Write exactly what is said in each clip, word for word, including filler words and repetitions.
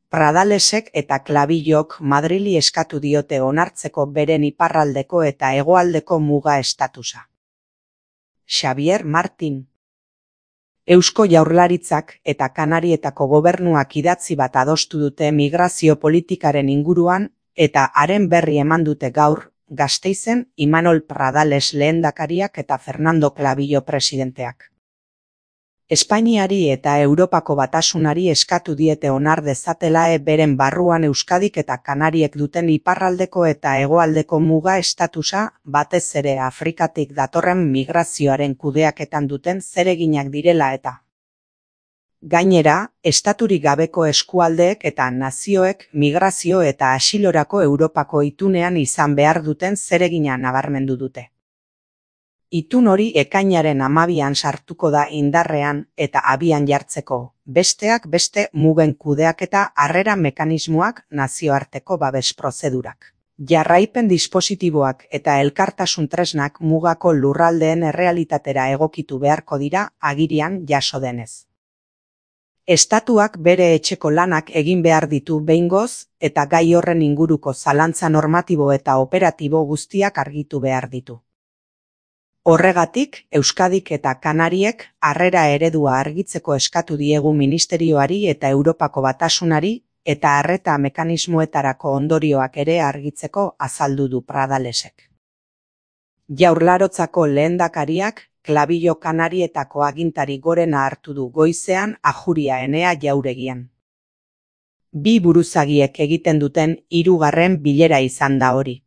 Pradalesek eta Clavillok Madrili eskatu diote onartzeko beren iparraldeko eta hegoaldeko muga estatusa. Xavier Martin. Eusko Jaurlaritzak eta Kanarietako gobernuak idatzi bat adostu dute migrazio politikaren inguruan eta haren berri eman dute gaur, Gasteizen Imanol Pradales lehendakariak eta Fernando Clavillo presidenteak. Espainiari eta Europako Batasunari eskatu diete onar dezatela beren barruan Euskadik eta Kanariek duten iparraldeko eta hegoaldeko muga estatusa, batez ere Afrikatik datorren migrazioaren kudeaketan duten zereginak direla eta. Gainera, estaturik gabeko eskualdeek eta nazioek migrazio eta asilorako Europako itunean izan behar duten zeregina nabarmendu dute. Itun hori ekainaren hamabian sartuko da indarrean eta abian jartzeko, besteak beste mugen kudeaketa harrera mekanismoak nazioarteko babes prozedurak. Jarraipen dispositiboak eta elkartasun tresnak mugako lurraldeen errealitatera egokitu beharko dira agirian jaso denez. Estatuak bere etxeko lanak egin behar ditu behingoz eta gai horren inguruko zalantza normatibo eta operatibo guztiak argitu behar ditu. Horregatik, Euskadik eta Kanariek harrera eredua argitzeko eskatu diegu Ministerioari eta Europako Batasunari eta arreta mekanismoetarako ondorioak ere argitzeko azaldu du Pradalesek. Jaurlarotzako lehendakariak Clavillo Kanarietako agintari gorena hartu du goizean Ajuria Enea jauregian. Bi buruzagiek egiten duten hirugarren bilera izan da hori.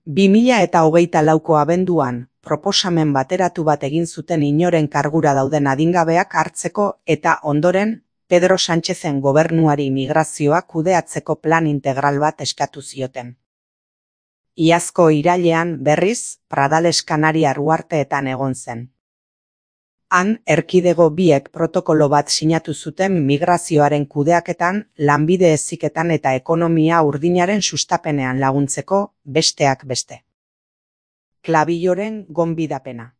bi mila eta hogeita lauko abenduan, proposamen bateratu bat egin zuten inoren kargura dauden adingabeak hartzeko eta ondoren Pedro Sánchezen gobernuari migrazioa kudeatzeko plan integral bat eskatu zioten. Iazko irailean berriz Pradales Kanariar uharteetan egon zen. Han, erkidego biek protokolo bat sinatu zuten migrazioaren kudeaketan, lanbide heziketan eta ekonomia urdinaren sustapenean laguntzeko, besteak beste. Clavilloren gonbidapena.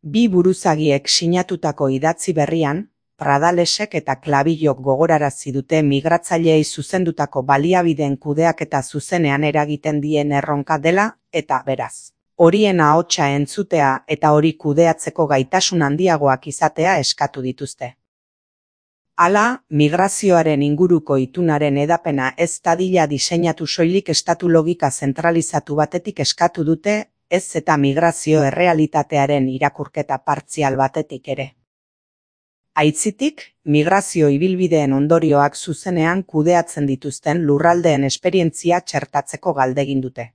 Bi buruzagiek sinatutako idatzi berrian, Pradalesek eta Clavillok gogorarazi dute migratzaileei zuzendutako baliabideen kudeaketa zuzenean eragiten dien erronka dela eta beraz. Horien ahotsa entzutea eta hori kudeatzeko gaitasun handiagoak izatea eskatu dituzte. Hala, migrazioaren inguruko itunaren edapena ez dadila diseinatu soilik estatu logika zentralizatu batetik eskatu dute, ez eta migrazio errealitatearen irakurketa partzial batetik ere. Aitzitik, migrazio ibilbideen ondorioak zuzenean kudeatzen dituzten lurraldeen esperientzia txertatzeko galdegin dute.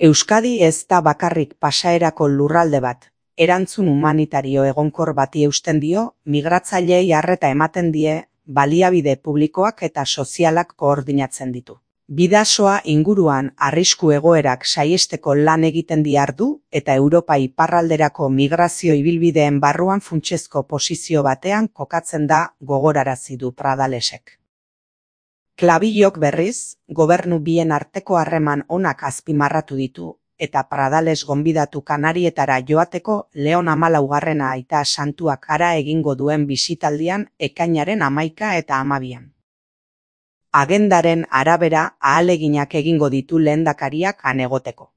Euskadi ez da bakarrik pasaerako lurralde bat, erantzun humanitario egonkor bati eusten dio, migratzaileei arreta ematen die, baliabide publikoak eta sozialak koordinatzen ditu. Bidasoa inguruan arrisku egoerak saihesteko lan egiten diardu eta Europa iparralderako migrazio ibilbideen barruan funtsezko posizio batean kokatzen da gogorarazi du Pradalesek. Clavillok berriz, gobernu bien arteko harreman onak azpimarratu ditu eta Pradales gonbidatu Kanarietara joateko Leon hamalaugarrena aita santuak hara egingo duen bisitaldian ekainaren hamaika eta hamabian. Agendaren arabera ahaleginak egingo ditu lehendakariak han egoteko.